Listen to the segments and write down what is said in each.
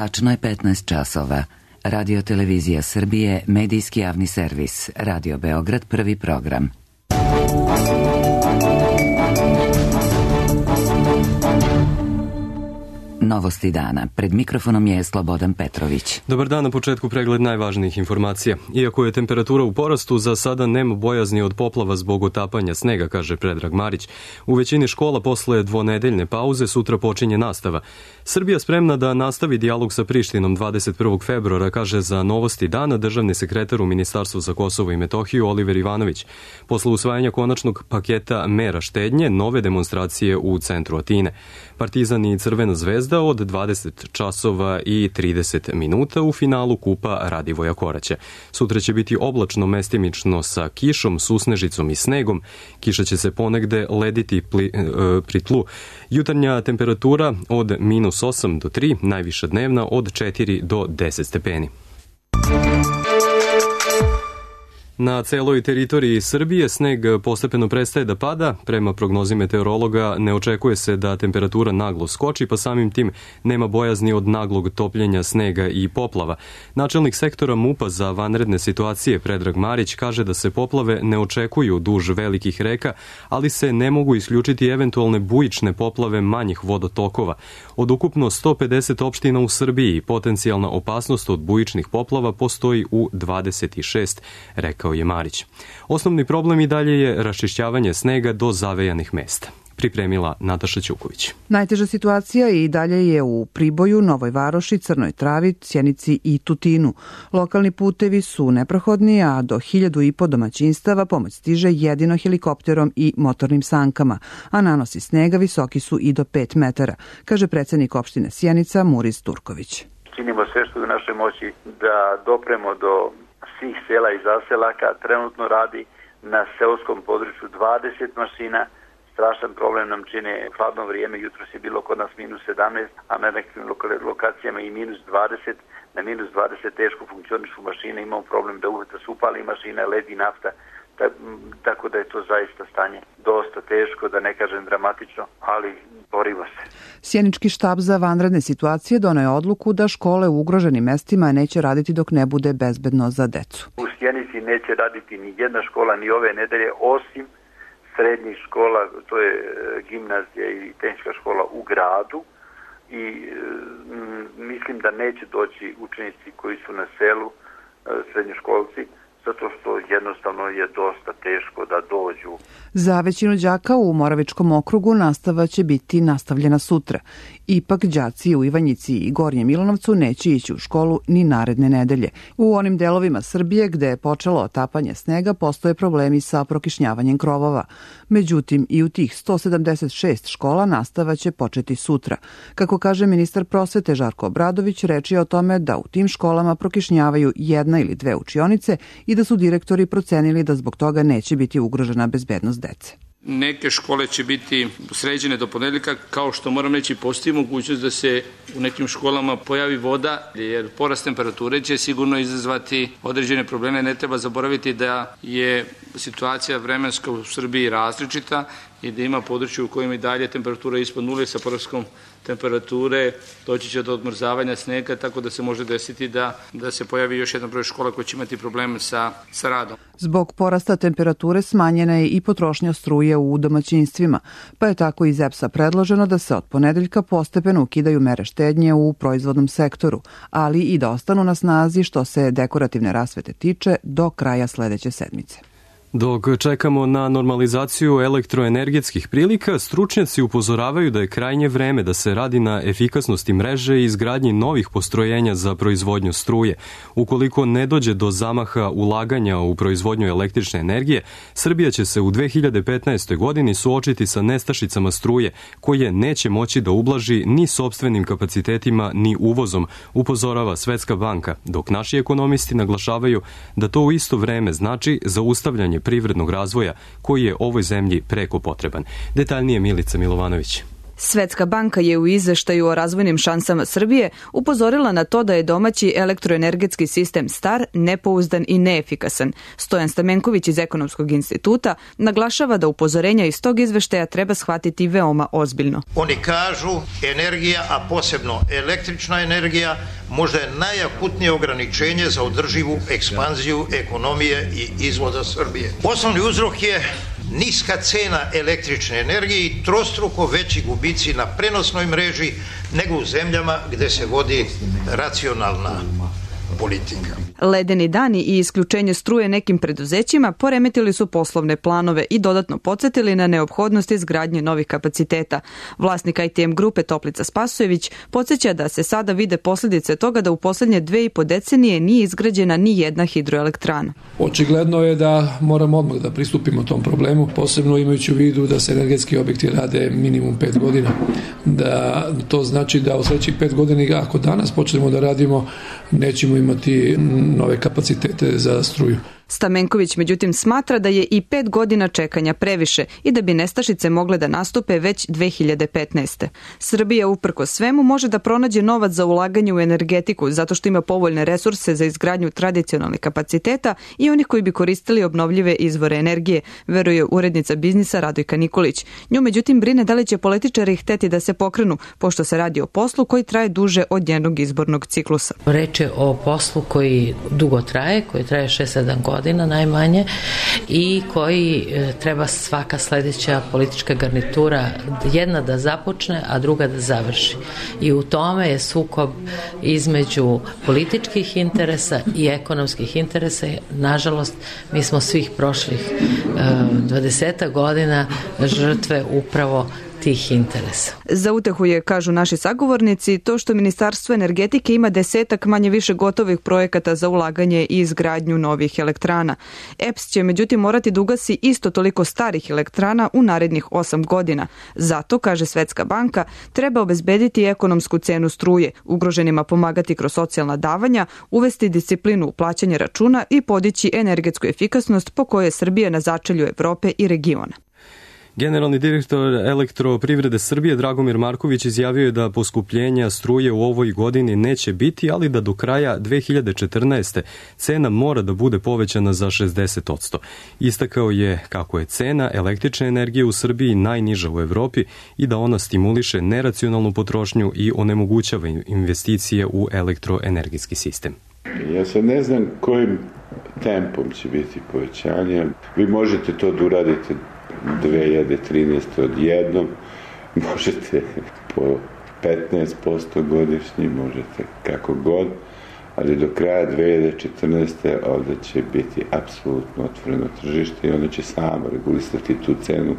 Tačno je 15 časova. Radio Televizija Srbije, medijski javni servis. Radio Beograd, prvi program. Novosti dana. Pred mikrofonom je Slobodan Petrović. Dobar dan, na početku pregled najvažnijih informacija. Iako je temperatura u porastu, za sada nema bojazni od poplava zbog otapanja snega, kaže Predrag Marić. U većini škola posle dvonedeljne pauze sutra počinje nastava. Srbija spremna da nastavi dijalog sa Prištinom 21. februara, kaže za Novosti dana državni sekretar u Ministarstvu za Kosovo i Metohiju Oliver Ivanović. Posle usvajanja konačnog paketa mera štednje, nove demonstracije u centru Atine. Partizan i Crvena zvezda od 20 časova i 30 minuta u finalu Kupa Radivoja Koraća. Sutra će biti oblačno mestimično sa kišom, susnežicom i snegom. Kiša će se ponegde lediti pri tlu. Jutarnja temperatura od -8 do 3, najviša dnevna od 4 do 10 stepeni. Na celoj teritoriji Srbije sneg postepeno prestaje da pada. Prema prognozi meteorologa ne očekuje se da temperatura naglo skoči, pa samim tim nema bojazni od naglog topljenja snega i poplava. Načelnik sektora MUP-a za vanredne situacije Predrag Marić kaže da se poplave ne očekuju duž velikih reka, ali se ne mogu isključiti eventualne bujične poplave manjih vodotokova. Od ukupno 150 opština u Srbiji potencijalna opasnost od bujičnih poplava postoji u 26, rekao je Marić. Osnovni problem i dalje je raščišćavanje snega do zavejanih mesta. Pripremila Nataša Ćuković. Najteža situacija i dalje je u Priboju, Novoj Varoši, Crnoj Travi, Sjenici i Tutinu. Lokalni putevi su neprohodni, a do 1.500 domaćinstava pomoć stiže jedino helikopterom i motornim sankama, a nanosi snega visoki su i do 5 metara, kaže predsednik opštine Sjenica Muris Turković. Činimo sve što je u našoj moći da dopremo do svih sela i zaselaka. Trenutno radi na seoskom području 20 mašina. Strašan problem nam čine hladno vrijeme. Jutros je bilo kod nas -17, a na nekim lokacijama i -20. Na -20 teško funkcionišu mašine. Imamo problem da uvijek se upali mašina, ledi nafta. Tako da je to zaista stanje dosta teško, da ne kažem dramatično, ali borimo se. Sjenički štab za vanredne situacije doneo je odluku da škole u ugroženim mestima neće raditi dok ne bude bezbedno za decu. U Sjenici neće raditi ni jedna škola ni ove nedelje, osim srednjih škola, to je gimnazija i tehnička škola u gradu, i mislim da neće doći učenici koji su na selu, srednjoškolci, zato što jednostavno je dosta teško da dođu. Za većinu đaka u Moravičkom okrugu nastava će biti nastavljena sutra. Ipak đaci u Ivanjici i Gornjem Milanovcu neće ići u školu ni naredne nedelje. U onim delovima Srbije gde je počelo otapanje snega postoje problemi sa prokišnjavanjem krovova. Međutim, i u tih 176 škola nastava će početi sutra. Kako kaže ministar prosvete Žarko Obradović, reč je o tome da u tim školama prokišnjavaju jedna ili dve učionice i da su direktori procenili da zbog toga neće biti ugrožena bezbednost dece. Neke škole će biti sređene do ponedeljka, kao što moram reći postoji mogućnost da se u nekim školama pojavi voda, jer porast temperature će sigurno izazvati određene probleme. Ne treba zaboraviti da je situacija vremenska u Srbiji različita i da ima područje u kojima i dalje temperatura ispod nule. Sa porastom temperature doći će do odmrzavanja snega, tako da se može desiti da se pojavi još jedan broj škola koji će imati probleme sa radom. Zbog porasta temperature smanjena je i potrošnja struje u domaćinstvima, pa je tako iz EPS-a predloženo da se od ponedeljka postepeno ukidaju mere štednje u proizvodnom sektoru, ali i da ostanu na snazi što se dekorativne rasvete tiče do kraja sledeće sedmice. Dok čekamo na normalizaciju elektroenergetskih prilika, stručnjaci upozoravaju da je krajnje vreme da se radi na efikasnosti mreže i izgradnji novih postrojenja za proizvodnju struje. Ukoliko ne dođe do zamaha ulaganja u proizvodnju električne energije, Srbija će se u 2015. godini suočiti sa nestašicama struje, koje neće moći da ublaži ni sopstvenim kapacitetima ni uvozom, upozorava Svetska banka, dok naši ekonomisti naglašavaju da to u isto vreme znači zaustavljanje privrednog razvoja koji je ovoj zemlji preko potreban. Detaljnije Milica Milovanović. Svetska banka je u izveštaju o razvojnim šansama Srbije upozorila na to da je domaći elektroenergetski sistem star, nepouzdan i neefikasan. Stojan Stamenković iz Ekonomskog instituta naglašava da upozorenja iz tog izveštaja treba shvatiti veoma ozbiljno. Oni kažu energija, a posebno električna energija, možda je najakutnije ograničenje za održivu ekspanziju ekonomije i izvoza Srbije. Osnovni uzrok je niska cena električne energije i trostruko veći gubici na prenosnoj mreži nego u zemljama gde se vodi racionalna politika. Ledeni dani i isključenje struje nekim preduzećima poremetili su poslovne planove i dodatno podsjetili na neophodnost izgradnje novih kapaciteta. Vlasnik ITM grupe Toplica Spasojević podsjeća da se sada vide posljedice toga da u posljednje 2,5 decenije nije izgrađena ni jedna hidroelektrana. Očigledno je da moramo odmah da pristupimo tom problemu, posebno imajući u vidu da se energetski objekti rade minimum 5 godina. Da to znači da u sljedećih 5 godina, ako danas počnemo da radimo, nećemo imati nove kapacitete za struju. Stamenković međutim smatra da je i 5 godina čekanja previše i da bi nestašice mogle da nastupe već 2015. Srbija uprkos svemu može da pronađe novac za ulaganje u energetiku zato što ima povoljne resurse za izgradnju tradicionalnih kapaciteta i onih koji bi koristili obnovljive izvore energije, veruje urednica biznisa Radojka Nikolić. Nju međutim brine da li će političari hteti da se pokrenu, pošto se radi o poslu koji traje duže od njenog izbornog ciklusa. Reč je o poslu koji dugo traje, koji traje 6-7 godina najmanje i koji treba svaka sljedeća politička garnitura jedna da započne, a druga da završi. I u tome je sukob između političkih interesa i ekonomskih interesa. Nažalost, mi smo svih prošlih 20 godina žrtve upravo tih interesa. Za utehu je, kažu naši sagovornici, to što Ministarstvo energetike ima 10 manje više gotovih projekata za ulaganje i izgradnju novih elektrana. EPS će međutim morati da ugasi isto toliko starih elektrana u narednih 8 godina. Zato, kaže Svetska banka, treba obezbediti ekonomsku cenu struje, ugroženima pomagati kroz socijalna davanja, uvesti disciplinu u plaćanje računa i podići energetsku efikasnost po kojoj je Srbija na začelju Evrope i regiona. Generalni direktor Elektroprivrede Srbije Dragomir Marković izjavio je da poskupljenja struje u ovoj godini neće biti, ali da do kraja 2014. cena mora da bude povećana za 60%. Istakao je kako je cena električne energije u Srbiji najniža u Evropi i da ona stimuliše neracionalnu potrošnju i onemogućava investicije u elektroenergetski sistem. Ja sad ne znam kojim tempom će biti povećanje. Vi možete to da uradite 2013. odjednom, možete po 15% godišnji, možete kako god, ali do kraja 2014. ovdje će biti apsolutno otvoreno tržište i ono će samo regulisati tu cenu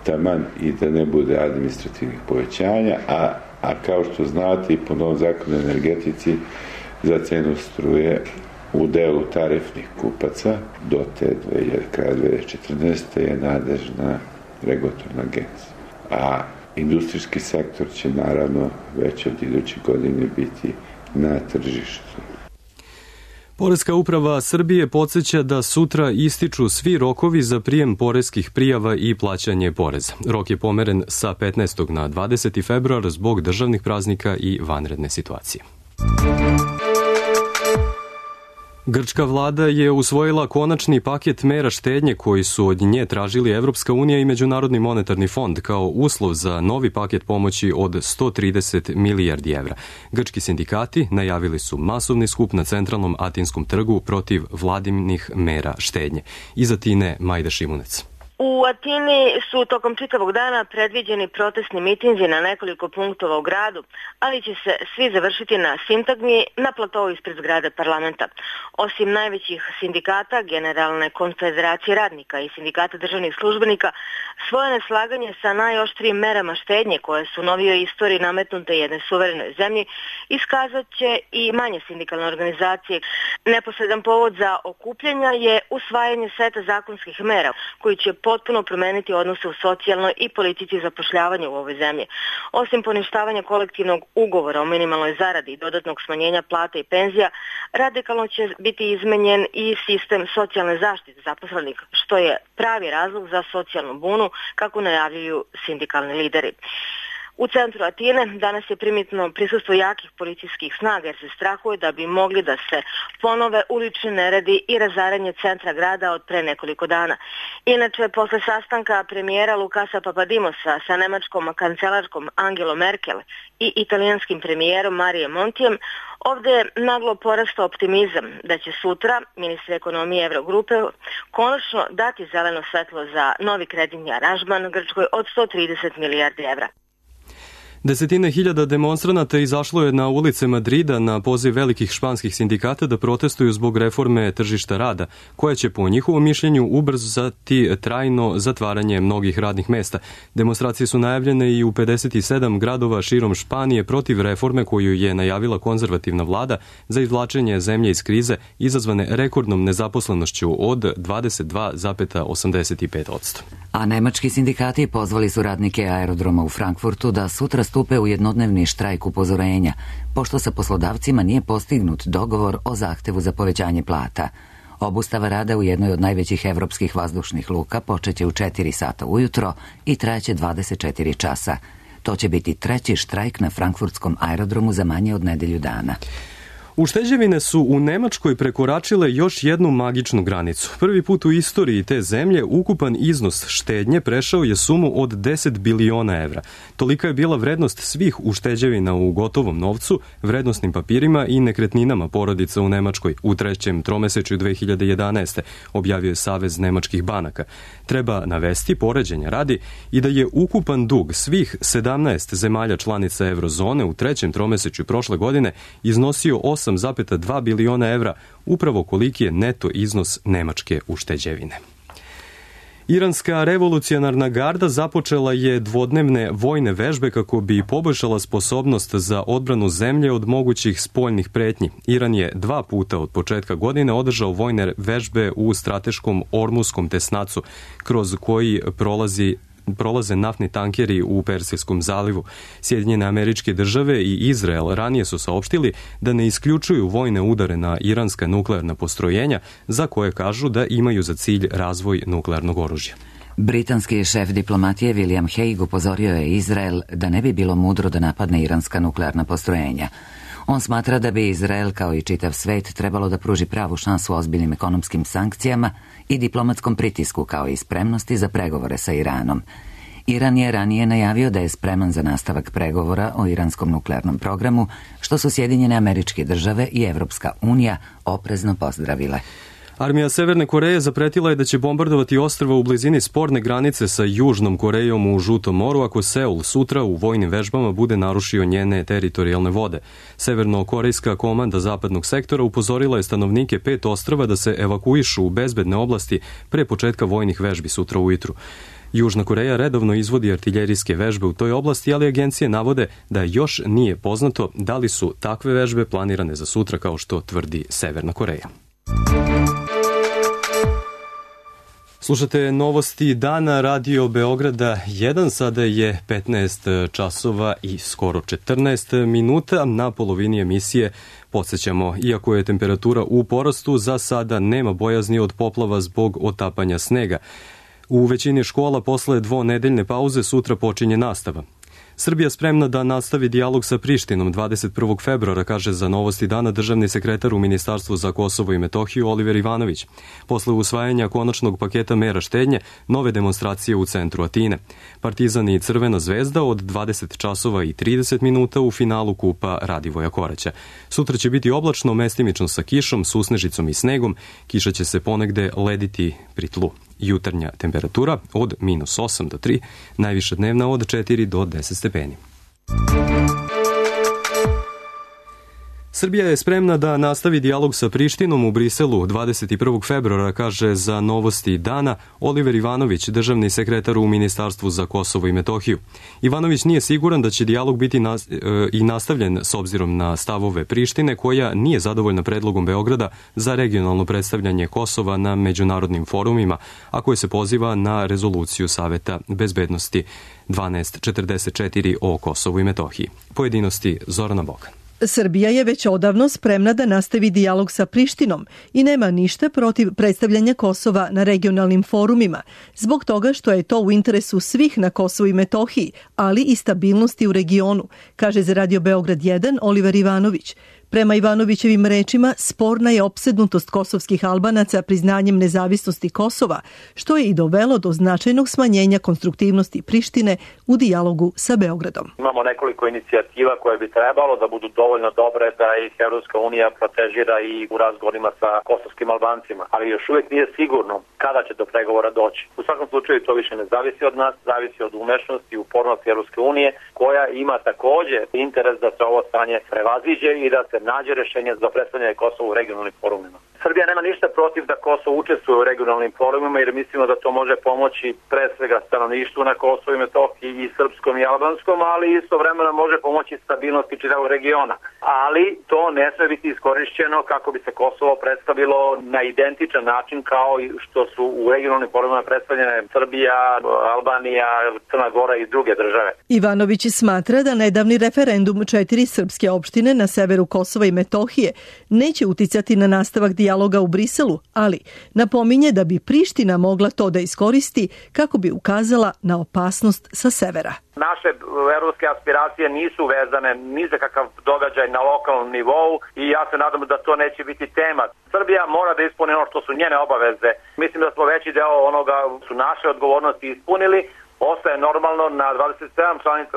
taman i da ne bude administrativnih povećanja, a kao što znate i po novom zakonu o energetici za cenu struje u delu tarifnih kupaca do te kraja 2014. je nadležna regulatorna agencija. A industrijski sektor će naravno već od iduće godine biti na tržištu. Poreska uprava Srbije podsjeća da sutra ističu svi rokovi za prijem poreskih prijava i plaćanje poreza. Rok je pomeren sa 15. na 20. februar zbog državnih praznika i vanredne situacije. Grčka vlada je usvojila konačni paket mera štednje koji su od nje tražili Evropska unija i Međunarodni monetarni fond kao uslov za novi paket pomoći od 130 milijardi evra. Grčki sindikati najavili su masovni skup na centralnom Atinskom trgu protiv vladinih mera štednje. Iz Atine Majda Šimunec. U Atini su tokom čitavog dana predviđeni protestni mitinzi na nekoliko punktova u gradu, ali će se svi završiti na sintagmi na platovu ispred zgrade parlamenta. Osim najvećih sindikata, Generalne konfederacije radnika i sindikata državnih službenika, svoje neslaganje sa najoštrijim merama štednje koje su u novijoj istoriji nametnute jednoj suverenoj zemlji iskazat će i manje sindikalne organizacije. Neposredan povod za okupljanja je usvajanje seta zakonskih mera koji će potpuno promeniti odnose u socijalnoj i politici zapošljavanja u ovoj zemlji. Osim poništavanja kolektivnog ugovora o minimalnoj zaradi i dodatnog smanjenja plata i penzija, radikalno će biti izmenjen i sistem socijalne zaštite zaposlenih, što je pravi razlog za socijalnu bunu, kako najavljuju sindikalni lideri. U centru Atine danas je primetno prisustvo jakih policijskih snaga jer se strahuje da bi mogli da se ponove ulični neredi i razaranje centra grada od pre nekoliko dana. Inače, posle sastanka premijera Lukasa Papadimosa sa nemačkom kancelarkom Angelom Merkel i italijanskim premijerom Marijem Montijem, ovde je naglo porastao optimizam da će sutra ministri ekonomije Evrogrupe konačno dati zeleno svetlo za novi kreditni aranžman Grčkoj od 130 milijardi evra. Desetine hiljada demonstranata izašlo je na ulice Madrida na poziv velikih španskih sindikata da protestuju zbog reforme tržišta rada, koja će po njihovom mišljenju ubrzati trajno zatvaranje mnogih radnih mesta. Demonstracije su najavljene i u 57 gradova širom Španije protiv reforme koju je najavila konzervativna vlada za izvlačenje zemlje iz krize izazvane rekordnom nezaposlenošću od 22,85%. A nemački sindikati pozvali su radnike aerodroma u Frankfurtu da sutra stupe u jednodnevni štrajk upozorenja, pošto sa poslodavcima nije postignut dogovor o zahtevu za povećanje plata. Obustava rada u jednoj od najvećih evropskih vazdušnih luka počeće u 4 sata ujutro i trajaće 24 časa. To će biti treći štrajk na frankfurtskom aerodromu za manje od nedelju dana. Ušteđevine su u Nemačkoj prekoračile još jednu magičnu granicu. Prvi put u istoriji te zemlje ukupan iznos štednje prešao je sumu od 10 biliona evra. Tolika je bila vrednost svih ušteđevina u gotovom novcu, vrednosnim papirima i nekretninama porodica u Nemačkoj u trećem tromesečju 2011. objavio je Savez nemačkih banaka. Treba navesti, poređenja radi, i da je ukupan dug svih 17 zemalja članica eurozone u trećem tromesečju prošle godine iznosio 8,2 biliona evra, upravo koliki je neto iznos nemačke ušteđevine. Iranska revolucionarna garda započela je dvodnevne vojne vežbe kako bi poboljšala sposobnost za odbranu zemlje od mogućih spoljnih pretnji. Iran je 2 puta od početka godine održao vojne vežbe u strateškom Ormuskom tesnacu, kroz koji prolaze naftni tankeri u Persijskom zalivu. Sjedinjene Američke Države i Izrael ranije su saopštili da ne isključuju vojne udare na iranska nuklearna postrojenja, za koje kažu da imaju za cilj razvoj nuklearnog oružja. Britanski šef diplomatije William Hague upozorio je Izrael da ne bi bilo mudro da napadne iranska nuklearna postrojenja. On smatra da bi Izrael, kao i čitav svet, trebalo da pruži pravu šansu ozbiljnim ekonomskim sankcijama i diplomatskom pritisku, kao i spremnosti za pregovore sa Iranom. Iran je ranije najavio da je spreman za nastavak pregovora o iranskom nuklearnom programu, što su Sjedinjene Američke Države i Evropska unija oprezno pozdravile. Armija Severne Koreje zapretila je da će bombardovati ostrva u blizini sporne granice sa Južnom Korejom u Žutom moru ako Seul sutra u vojnim vežbama bude narušio njene teritorijalne vode. Severno-korejska komanda zapadnog sektora upozorila je stanovnike 5 ostrva da se evakuišu u bezbedne oblasti pre početka vojnih vežbi sutra ujutru. Južna Koreja redovno izvodi artiljerijske vežbe u toj oblasti, ali agencije navode da još nije poznato da li su takve vežbe planirane za sutra kao što tvrdi Severna Koreja. Slušate novosti dana Radio Beograda 1, sada je 15 časova i skoro 14 minuta. Na polovini emisije podsjećamo, iako je temperatura u porastu, za sada nema bojazni od poplava zbog otapanja snega. U većini škola posle dvonedeljne pauze sutra počinje nastava. Srbija spremna da nastavi dijalog sa Prištinom 21. februara, kaže za novosti dana državni sekretar u Ministarstvu za Kosovo i Metohiju Oliver Ivanović. Posle usvajanja konačnog paketa mera štednje, nove demonstracije u centru Atine. Partizan i Crvena zvezda od 20 časova i 30 minuta u finalu kupa Radivoja Koraća. Sutra će biti oblačno, mestimično sa kišom, susnežicom i snegom. Kiša će se ponegde lediti pri tlu. Jutarnja temperatura od -8 do 3, najviša dnevna od 4 do 10 stepeni. Srbija je spremna da nastavi dijalog sa Prištinom u Briselu 21. februara, kaže za novosti dana Oliver Ivanović, državni sekretar u Ministarstvu za Kosovo i Metohiju. Ivanović nije siguran da će dijalog biti i nastavljen s obzirom na stavove Prištine, koja nije zadovoljna predlogom Beograda za regionalno predstavljanje Kosova na međunarodnim forumima, a koje se poziva na rezoluciju Saveta bezbednosti 1244 o Kosovu i Metohiji. Pojedinosti Zorana Bokan. Srbija je već odavno spremna da nastavi dijalog sa Prištinom i nema ništa protiv predstavljanja Kosova na regionalnim forumima, zbog toga što je to u interesu svih na Kosovu i Metohiji, ali i stabilnosti u regionu, kaže za Radio Beograd 1 Oliver Ivanović. Prema Ivanovićevim rečima, sporna je opsednutost kosovskih Albanaca priznanjem nezavisnosti Kosova, što je i dovelo do značajnog smanjenja konstruktivnosti Prištine u dijalogu sa Beogradom. Imamo nekoliko inicijativa koje bi trebalo da budu dovoljno dobre da ih Evropska unija protežira i u razgovorima sa kosovskim Albancima, ali još uvijek nije sigurno kada će do pregovora doći. U svakom slučaju to više ne zavisi od nas, zavisi od umešnosti i upornosti Evropske unije, koja ima takođe interes da se ovo stanje prevaziđe i da se nađe rešenje za predstavljanje Kosova u regionalnim forumima. Srbija nema ništa protiv da Kosovo učestvuje u regionalnim forumima jer mislimo da to može pomoći pre svega stanovništvu na Kosovu i Metohiji i srpskom i albanskom, ali istovremeno može pomoći stabilnosti čitavog regiona. Ali to ne sme biti iskorišćeno kako bi se Kosovo predstavilo na identičan način kao i što su u regionalnim forumima predstavljene Srbija, Albanija, Crna Gora i druge države. Ivanović smatra da nedavni referendum 4 srpske opštine na severu Kosova i Metohije neće uticati na nastavak dijaloga u Briselu, ali napominje da bi Priština mogla to da iskoristi kako bi ukazala na opasnost sa severa. Naše evropske aspiracije nisu vezane ni za kakav događaj na lokalnom nivou i ja se nadam da to neće biti tema. Srbija mora da ispuni ono što su njene obaveze. Mislim da smo veći deo onoga su naše odgovornosti ispunili. Ostaje normalno na 27 članica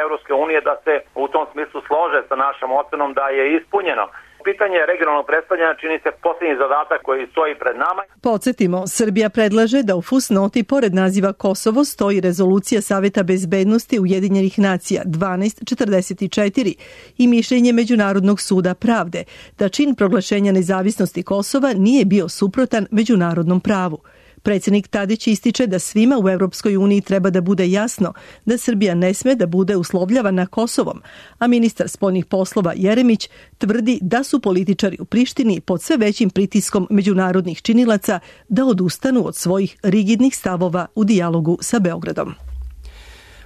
Evropske unije da se u tom smislu slože sa našom ocenom da je ispunjeno. Pitanje regionalnog predstavljanja čini se posljednji zadatak koji stoji pred nama. Podsjetimo, Srbija predlaže da u fusnoti pored naziva Kosovo stoji rezolucija Saveta bezbednosti Ujedinjenih nacija 1244 i mišljenje Međunarodnog suda pravde da čin proglašenja nezavisnosti Kosova nije bio suprotan međunarodnom pravu. Predsjednik Tadić ističe da svima u Evropskoj uniji treba da bude jasno da Srbija ne sme da bude uslovljavana Kosovom, a ministar spoljnih poslova Jeremić tvrdi da su političari u Prištini pod sve većim pritiskom međunarodnih činilaca da odustanu od svojih rigidnih stavova u dijalogu sa Beogradom.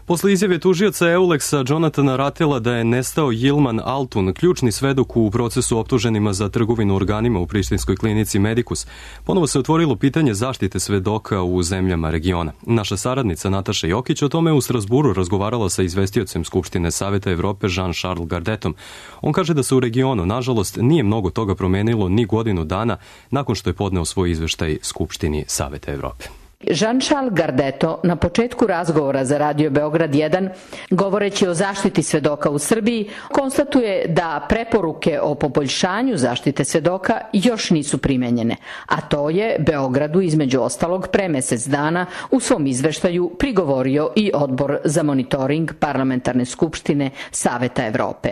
Posle izjave tužioca Euleksa Jonathana Ratela da je nestao Yilman Altun, ključni svedok u procesu optuženima za trgovinu organima u prištinskoj klinici Medicus, ponovo se otvorilo pitanje zaštite svedoka u zemljama regiona. Naša saradnica Nataša Jokić o tome u Strasburu razgovarala sa izvestiocem Skupštine Saveta Evrope Jean-Charles Gardetom. On kaže da se u regionu, nažalost, nije mnogo toga promenilo ni godinu dana nakon što je podneo svoj izveštaj Skupštini Saveta Evrope. Jean-Charles Gardeto na početku razgovora za Radio Beograd 1, govoreći o zaštiti svedoka u Srbiji, konstatuje da preporuke o poboljšanju zaštite svedoka još nisu primenjene, a to je Beogradu između ostalog pre mesec dana u svom izveštaju prigovorio i Odbor za monitoring Parlamentarne skupštine Saveta Evrope.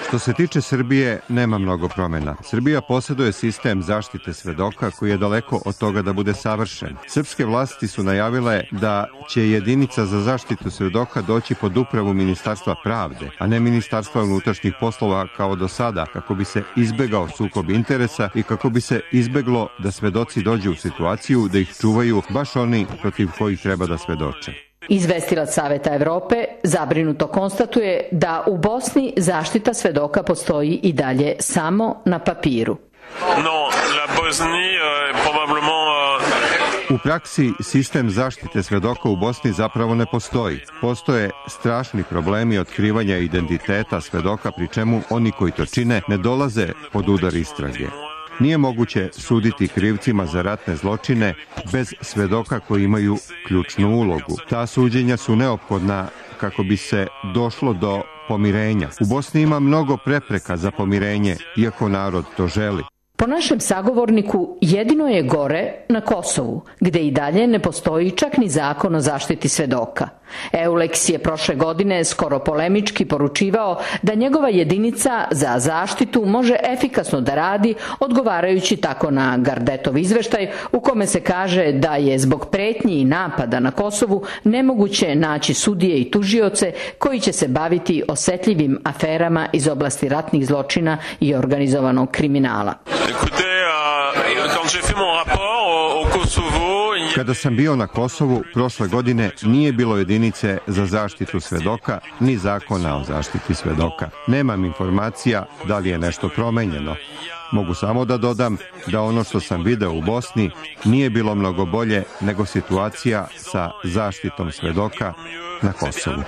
Što se tiče Srbije, nema mnogo promjena. Srbija posjeduje sistem zaštite svedoka koji je daleko od toga da bude savršen. Srpske vlasti su najavile da će jedinica za zaštitu svedoka doći pod upravu Ministarstva pravde, a ne Ministarstva unutrašnjih poslova kao do sada, kako bi se izbegao sukob interesa i kako bi se izbeglo da svedoci dođu u situaciju da ih čuvaju baš oni protiv kojih treba da svedoče. Izvestilac Saveta Evrope zabrinuto konstatuje da u Bosni zaštita svedoka postoji i dalje samo na papiru. U praksi sistem zaštite svedoka u Bosni zapravo ne postoji. Postoje strašni problemi otkrivanja identiteta svedoka, pri čemu oni koji to čine ne dolaze pod udar istrage. Nije moguće suditi krivcima za ratne zločine bez svedoka koji imaju ključnu ulogu. Ta suđenja su neophodna kako bi se došlo do pomirenja. U Bosni ima mnogo prepreka za pomirenje, iako narod to želi. Po našem sagovorniku, jedino je gore na Kosovu, gde i dalje ne postoji čak ni zakon o zaštiti svedoka. Euleks je prošle godine skoro polemički poručivao da njegova jedinica za zaštitu može efikasno da radi, odgovarajući tako na Gardetov izveštaj u kome se kaže da je zbog pretnji i napada na Kosovu nemoguće naći sudije i tužioce koji će se baviti osetljivim aferama iz oblasti ratnih zločina i organizovanog kriminala. Kada sam bio na Kosovu, prošle godine nije bilo jedinice za zaštitu svedoka, ni zakona o zaštiti svedoka. Nemam informacija da li je nešto promenjeno. Mogu samo da dodam da ono što sam video u Bosni nije bilo mnogo bolje nego situacija sa zaštitom svedoka na Kosovu.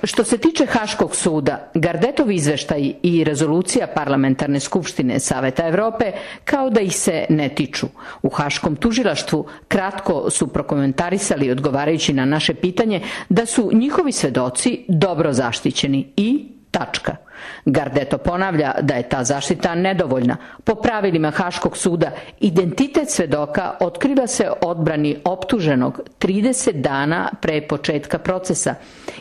Što se tiče Haškog suda, Gardetov izveštaj i rezolucija Parlamentarne skupštine Saveta Evrope kao da ih se ne tiču. U Haškom tužilaštvu kratko su prokomentarisali odgovarajući na naše pitanje da su njihovi svedoci dobro zaštićeni i tačka. Gardeto ponavlja da je ta zaštita nedovoljna. Po pravilima Haškog suda, identitet svedoka otkriva se odbrani optuženog 30 dana pre početka procesa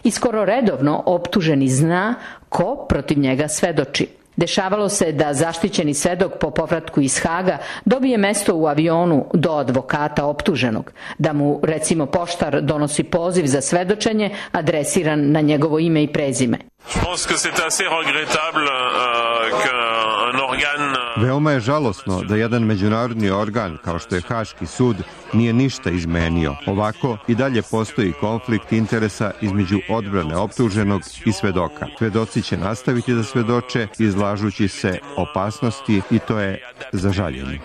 i skoro redovno optuženi zna ko protiv njega svedoči. Dešavalo se da zaštićeni svedok po povratku iz Haga dobije mesto u avionu do advokata optuženog, da mu recimo poštar donosi poziv za svedočenje adresiran na njegovo ime i prezime. Veoma je žalosno da jedan međunarodni organ kao što je Haški sud nije ništa izmenio. Ovako i dalje postoji konflikt interesa između odbrane optuženog i svedoka. Svedoci će nastaviti da svedoče izlažući se opasnosti i to je za žaljenje.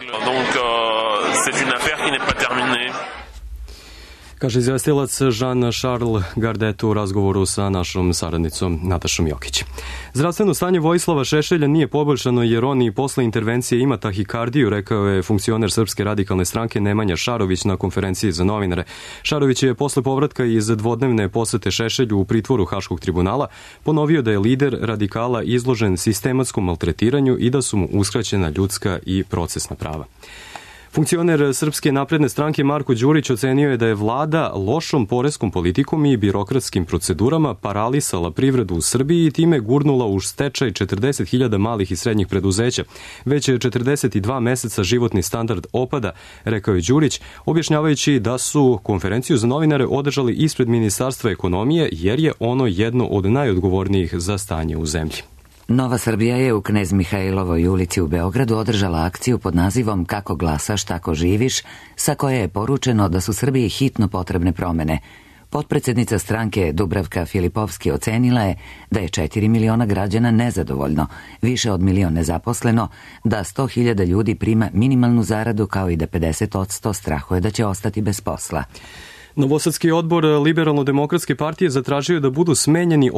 Kaže izvestilac Jean-Charles Gardet u razgovoru sa našom saradnicom Natašom Jokić. Zdravstveno stanje Vojislava Šešelja nije poboljšano jer on i posle intervencije ima tahikardiju, rekao je funkcioner Srpske radikalne stranke Nemanja Šarović na konferenciji za novinare. Šarović je posle povratka iz dvodnevne posete Šešelju u pritvoru Haškog tribunala ponovio da je lider radikala izložen sistematskom maltretiranju i da su mu uskraćena ljudska i procesna prava. Funkcioner Srpske napredne stranke Marko Đurić ocenio je da je vlada lošom poreskom politikom i birokratskim procedurama paralisala privredu u Srbiji i time gurnula u stečaj 40.000 malih i srednjih preduzeća. Već 42 meseca životni standard opada, rekao je Đurić, objašnjavajući da su konferenciju za novinare održali ispred Ministarstva ekonomije jer je ono jedno od najodgovornijih za stanje u zemlji. Nova Srbija je u Knez Mihajlovoj ulici u Beogradu održala akciju pod nazivom Kako glasaš, tako živiš, sa koje je poručeno da su Srbiji hitno potrebne promene. Potpredsednica stranke Dubravka Filipovski ocenila je da je 4 miliona građana nezadovoljno, više od milion nezaposleno, da 100.000 ljudi prima minimalnu zaradu kao i da 50% strahuje da će ostati bez posla. Novosadski odbor Liberalno-demokratske partije zatražio da budu smenjeni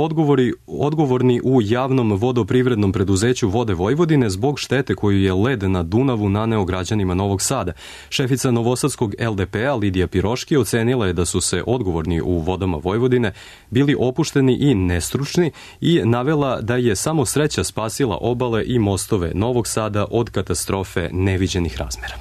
odgovorni u javnom vodoprivrednom preduzeću Vode Vojvodine zbog štete koju je led na Dunavu naneo građanima Novog Sada. Šefica novosadskog LDP-a Lidija Piroški ocenila je da su se odgovorni u Vodama Vojvodine bili opušteni i nestručni i navela da je samo sreća spasila obale i mostove Novog Sada od katastrofe neviđenih razmera.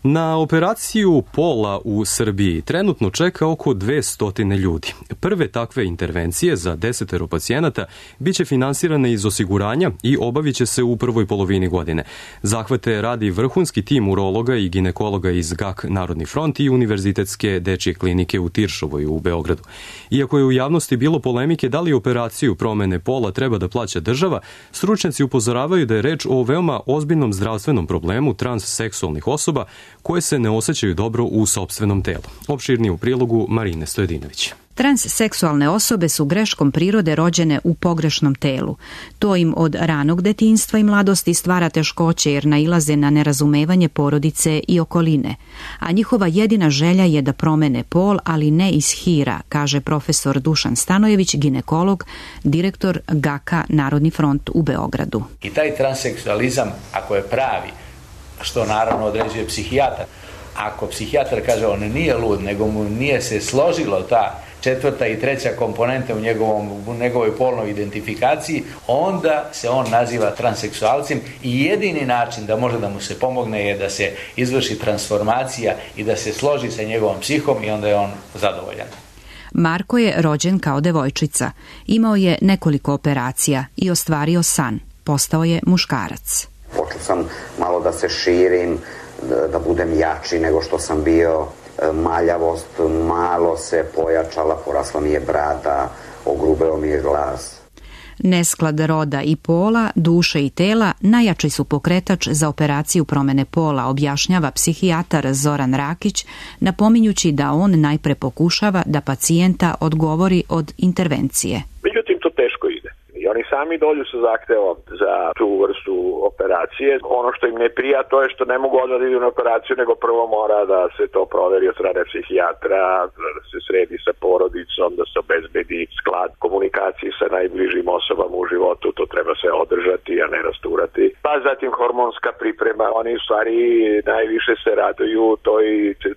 Na operaciju pola u Srbiji trenutno čeka oko 200 ljudi. Prve takve intervencije za 10 pacijenata biće finansirane iz osiguranja i obavit će se u prvoj polovini godine. Zahvate radi vrhunski tim urologa i ginekologa iz GAK Narodni front i Univerzitetske dečje klinike u Tiršovoj u Beogradu. Iako je u javnosti bilo polemike da li operaciju promene pola treba da plaća država, stručnjaci upozoravaju da je reč o veoma ozbiljnom zdravstvenom problemu transseksualnih osoba koje se ne osjećaju dobro u sopstvenom telu. Opširnije u prilogu Marine Stojedinović. Transseksualne osobe su greškom prirode rođene u pogrešnom telu. To im od ranog detinjstva i mladosti stvara teškoće jer nailaze na nerazumevanje porodice i okoline. A njihova jedina želja je da promene pol, ali ne iz hira, kaže profesor Dušan Stanojević, ginekolog, direktor GAK-a Narodni front u Beogradu. I taj transseksualizam, ako je pravi, što naravno određuje psihijatar, ako psihijatar kaže on nije lud, nego mu nije se složilo ta četvrta i treća komponenta u njegovoj polnoj identifikaciji, onda se on naziva transseksualcem i jedini način da može da mu se pomogne je da se izvrši transformacija i da se složi sa njegovom psihom i onda je on zadovoljan. Marko je rođen kao devojčica. Imao je nekoliko operacija i ostvario san. Postao je muškarac. Počeo sam malo da se širim, da budem jači nego što sam bio, maljavost malo se pojačala, porasla mi je brada, ogrubeo mi je glas. Nesklad roda i pola, duše i tela najjači su pokretač za operaciju promene pola, objašnjava psihijatar Zoran Rakić, napominjući da on najpre pokušava da pacijenta odgovori od intervencije. Međutim, to teško ide. I oni sami dođu sa zahtevom za tu vrstu operacije. Ono što im ne prija, to je što ne mogu odmah da idu na operaciju, nego prvo mora da se to proveri od strane psihijatra, da se sredi sa porodicom, da se obezbedi sklad komunikacije sa najbližim osobama u životu, to treba se održati, a ne rasturati. Pa zatim hormonska priprema, oni u stvari najviše se raduju toj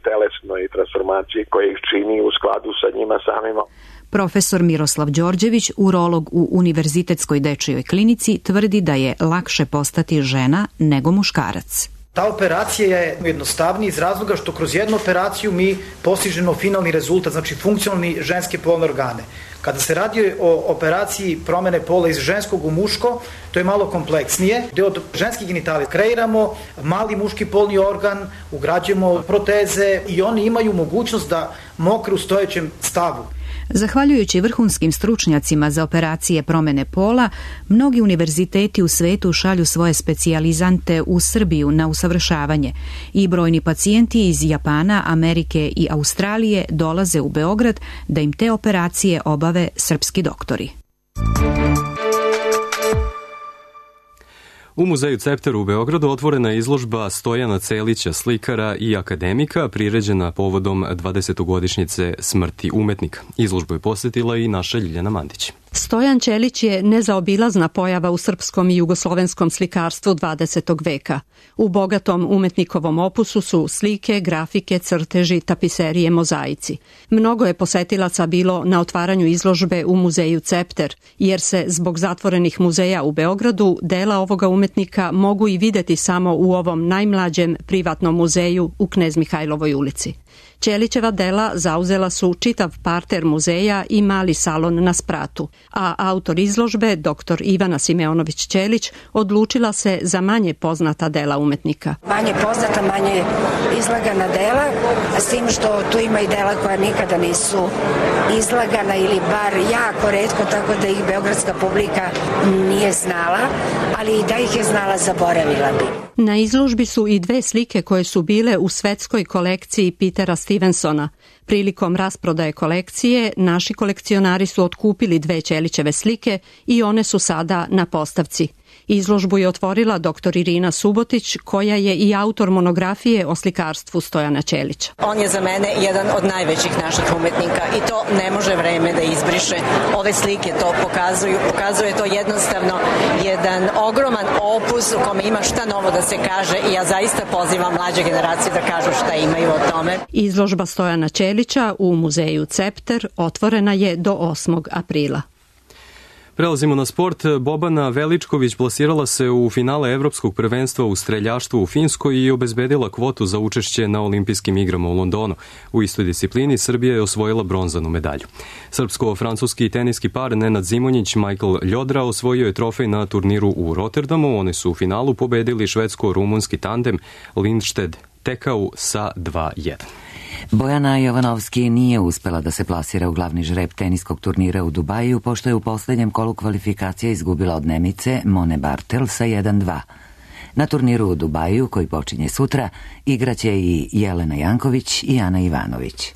telesnoj transformaciji koja ih čini u skladu sa njima samima. Profesor Miroslav Đorđević, urolog u Univerzitetskoj dečijoj klinici, tvrdi da je lakše postati žena nego muškarac. Ta operacija je jednostavnija iz razloga što kroz jednu operaciju mi postižemo finalni rezultat, znači funkcionalni ženske polne organe. Kada se radi o operaciji promene pola iz ženskog u muško, to je malo kompleksnije, gde od ženskih genitalija kreiramo mali muški polni organ, ugrađujemo proteze i oni imaju mogućnost da mokre u stojećem stavu. Zahvaljujući vrhunskim stručnjacima za operacije promene pola, mnogi univerziteti u svetu šalju svoje specijalizante u Srbiju na usavršavanje i brojni pacijenti iz Japana, Amerike i Australije dolaze u Beograd da im te operacije obave srpski doktori. U muzeju Cepter u Beogradu otvorena je izložba Stojana Celića, slikara i akademika, priređena povodom 20-godišnjice smrti umetnika. Izložbu je posjetila i naša Ljiljana Mandić. Stojan Ćelić je nezaobilazna pojava u srpskom i jugoslovenskom slikarstvu 20. veka. U bogatom umetnikovom opusu su slike, grafike, crteži, tapiserije, mozaici. Mnogo je posetilaca bilo na otvaranju izložbe u muzeju Cepter, jer se zbog zatvorenih muzeja u Beogradu dela ovoga umetnika mogu i videti samo u ovom najmlađem privatnom muzeju u Knez Mihajlovoj ulici. Ćelićeva dela zauzela su čitav parter muzeja i mali salon na spratu, a autor izložbe, dr. Ivana Simeonović Ćelić, odlučila se za manje poznata dela umetnika. Manje poznata, manje izlagana dela, s tim što tu ima i dela koja nikada nisu izlagana ili bar jako retko, tako da ih beogradska publika nije znala, ali i da ih je znala, zaboravila bi. Na izložbi su i dve slike koje su bile u svetskoj kolekciji Petera Stevensona. Prilikom rasprodaje kolekcije, naši kolekcionari su otkupili dve Ćelićeve slike i one su sada na postavci. Izložbu je otvorila dr. Irina Subotić, koja je i autor monografije o slikarstvu Stojana Ćelića. On je za mene jedan od najvećih naših umetnika i to ne može vreme da izbriše. Ove slike to pokazuju. Pokazuje to jednostavno jedan ogroman opus u kome ima šta novo da se kaže i ja zaista pozivam mlađe generacije da kažu šta imaju o tome. Izložba Stojana Ćelića u muzeju Cepter otvorena je do 8. aprila. Prelazimo na sport. Bobana Veličković plasirala se u finale Evropskog prvenstva u streljaštvu u Finskoj i obezbedila kvotu za učešće na olimpijskim igrama u Londonu. U istoj disciplini Srbija je osvojila bronzanu medalju. Srpsko-francuski teniski par Nenad Zimonjić, Michael Ljodra osvojio je trofej na turniru u Rotterdamu. Oni su u finalu pobedili švedsko-rumunski tandem Lindstedt Tekau sa 2:1. Bojana Jovanovski nije uspela da se plasira u glavni žreb teniskog turnira u Dubaju, pošto je u posljednjem kolu kvalifikacija izgubila od Nemice Mone Bartel sa 1:2. Na turniru u Dubaju, koji počinje sutra, igraće i Jelena Janković i Ana Ivanović.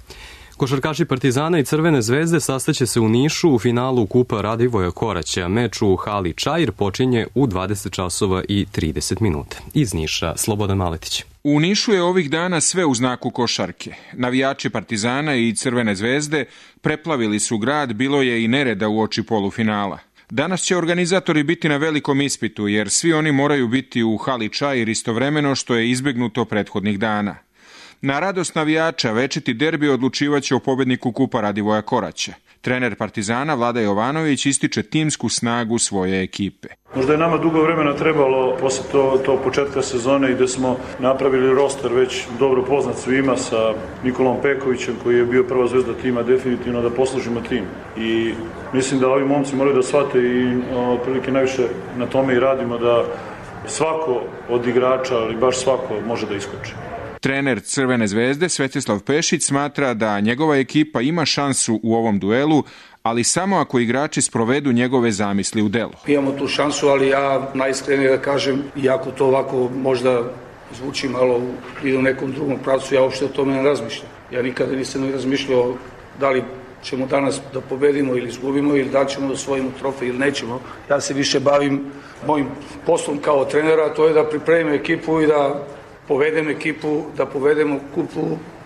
Košarkaši Partizana i Crvene zvezde sastaće se u Nišu u finalu Kupa Radivoja Koraća. Meč u hali Čair počinje u 20 časova i 30 minuta. Iz Niša, Slobodan Maletić. U Nišu je ovih dana sve u znaku košarke. Navijači Partizana i Crvene zvezde preplavili su grad, bilo je i nereda uoči polufinala. Danas će organizatori biti na velikom ispitu, jer svi oni moraju biti u hali Čair istovremeno, što je izbegnuto prethodnih dana. Na radost navijača večiti derbi odlučivaće o pobedniku Kupa Radivoja Koraća. Trener Partizana Vlada Jovanović ističe timsku snagu svoje ekipe. Možda je nama dugo vremena trebalo posle to početka sezone i da smo napravili roster već dobro poznat svima sa Nikolom Pekovićem koji je bio prva zvezda tima, definitivno da poslužimo tim. I mislim da ovi momci moraju da shvate i otprilike najviše na tome i radimo da svako od igrača, ali baš svako može da iskoči. Trener Crvene zvezde Svetislav Pešić smatra da njegova ekipa ima šansu u ovom duelu, ali samo ako igrači sprovedu njegove zamisli u delo. Imamo tu šansu, ali ja najiskrenije da kažem, iako to ovako možda zvuči malo i u nekom drugom pravcu, ja uopšte o tome ne razmišljam. Ja nikada nisam razmišljao da li ćemo danas da pobedimo ili izgubimo ili da ćemo da osvojimo trofej ili nećemo. Ja se više bavim mojim poslom kao trenera, to je da pripremim ekipu i da povedem ekipu, da povedemo kupu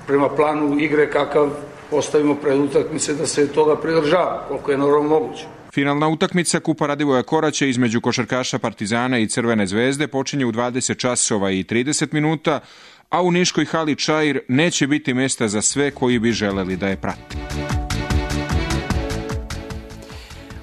prema planu igre kakav postavimo pred utakmice, da se toga pridržava, koliko je normalno moguće. Finalna utakmica Kupa Radivoja Koraća između košarkaša Partizana i Crvene zvezde počinje u 20 časova i 30 minuta, a u niškoj hali Čair neće biti mjesta za sve koji bi želeli da je prate.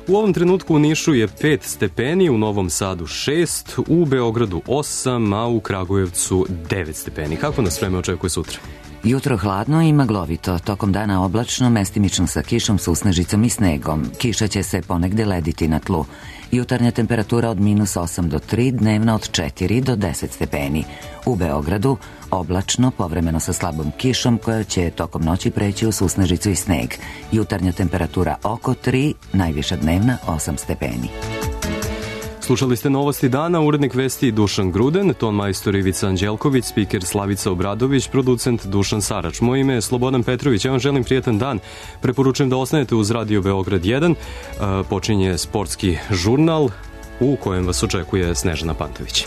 U ovom trenutku u Nišu je 5 stepeni, u Novom Sadu 6, u Beogradu 8, a u Kragujevcu 9 stepeni. Kako nas vreme očekuje sutra? Jutro hladno i maglovito, tokom dana oblačno, mestimično sa kišom, susnežicom i snegom. Kiša će se ponegde lediti na tlu. Jutarnja temperatura od -8 do 3, dnevna od 4 do 10 stepeni. U Beogradu oblačno, povremeno sa slabom kišom koja će tokom noći preći u susnežicu i sneg. Jutarnja temperatura oko 3, najviša dnevna 8 stepeni. Slušali ste novosti dana, urednik vesti Dušan Gruden, ton majstor Ivica Anđelković, spiker Slavica Obradović, producent Dušan Sarač. Moje ime je Slobodan Petrović, ja vam želim prijetan dan. Preporučujem da ostanete uz Radio Beograd 1. Počinje sportski žurnal u kojem vas očekuje Snežana Pantović.